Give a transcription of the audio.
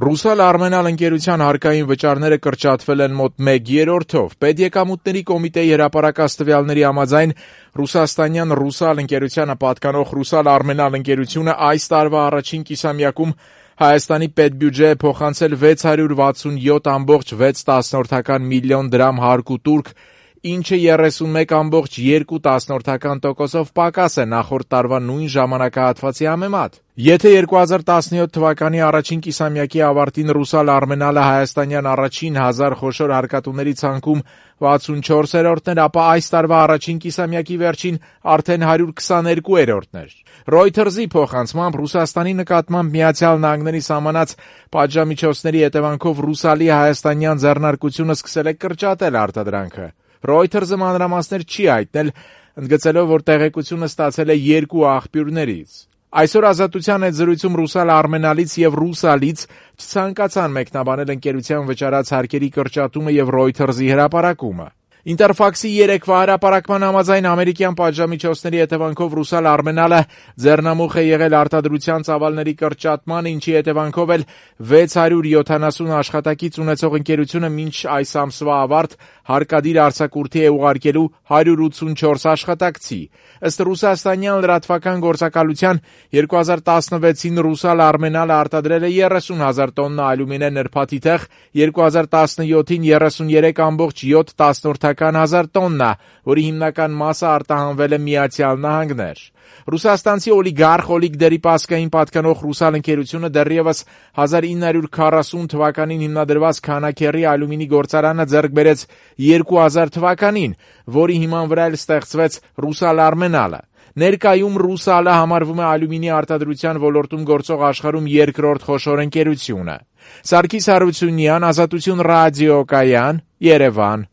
Ռուսալ Արմենալ ընկերության հարկային վճարները կրճատվել են մոտ 1/3-ով։ Պետեկամուտների կոմիտեի հրապարակած տվյալների համաձայն ռուսաստանյան Ռուսալ ընկերությանը պատկանող Ռուսալ Արմենալ ընկերությունը այս տարվա առաջին կիսամյակում Հայաստանի պետբյուջե է փոխանցել 647.6 միլիոն դրամ հարկ ու տուրք, ինչը 31.2% պակաս է նախորդ տարվա նույն ժամանակահատվածի համեմատ։ Եթե 2017 թվականի առաջին կիսամյակի ավարտին Ռուսալ Արմենալը հայաստանյան առաջին 1000 խոշոր հարկատուների ցանկում 64-րդն էր, ապա այս տարվա առաջին կիսամյակի վերջին արդեն 122-րդն էր։ Reuters-ի փոխանցմամբ Ռուսաստանի նկատմամբ Միացյալ Նահանգների սահմանած պատժամիջոցների հետևանքով Ռուսալի հայաստանյան ձեռնարկությունը սկսել է կրճատել արտադրանքը։ Reuters-ը մանրամասներ չի հայտնել, ընդգծելով, որ տեղեկությունը ստացել է երկու աղբյուրներից։ Այսօր Ազատության հետ զրույցում Ռուսալ Արմենալից եւ Ռուսալից չցանկացան մեկնաբանել ընկերության վճարած հարկերի կրճատումը եւ Reuters-ի հրապարակումը։ Ինտերֆաքսի երեկվա հրապարակման համաձայն ամերիկյան պատժամիջոցների հետևանքով Ռուսալ Արմենալը ձեռնամուխ է եղել արտադրության ծավալների կրճատման, ինչի հետևանքով էլ 670 աշխատակից ունեցող ընկերությունը մինչ այս ամսվա ավարտ հարկադիր արձակուրդի է ուղարկելու 184 աշխատակցի։ Ըստ ռուսաստանյան լրատվական գործակալության 2016-ին Ռուսալ Արմենալը արտադրել է 30,000 տոննա ալյումինե նրբաթիթ, 2017-ին 33.7 տոննա, որի հիմնական մասը արտահանվել է Միացյալ Նահանգներ։ Ռուսաստանցի օլիգարխ Օլիգ Դերիպասկային պատկանող Ռուսալ ընկերությունը դեռևս 1940 թվականին հիմնադրված Քանաքեռի ալյումինի գործարանը ձեռք բերեց 2000 թվականին, որի հիման վրա էլ ստեղծվեց Ռուսալ Արմենալը։ Ներկայում Ռուսալը համարվում է ալյումինի արտադրության ոլորտում գործող աշխարհում երկրորդ խոշոր ընկերությունը։ Սարգիս Հարությունյան, Ազատություն ռադիոկայան, Երևան։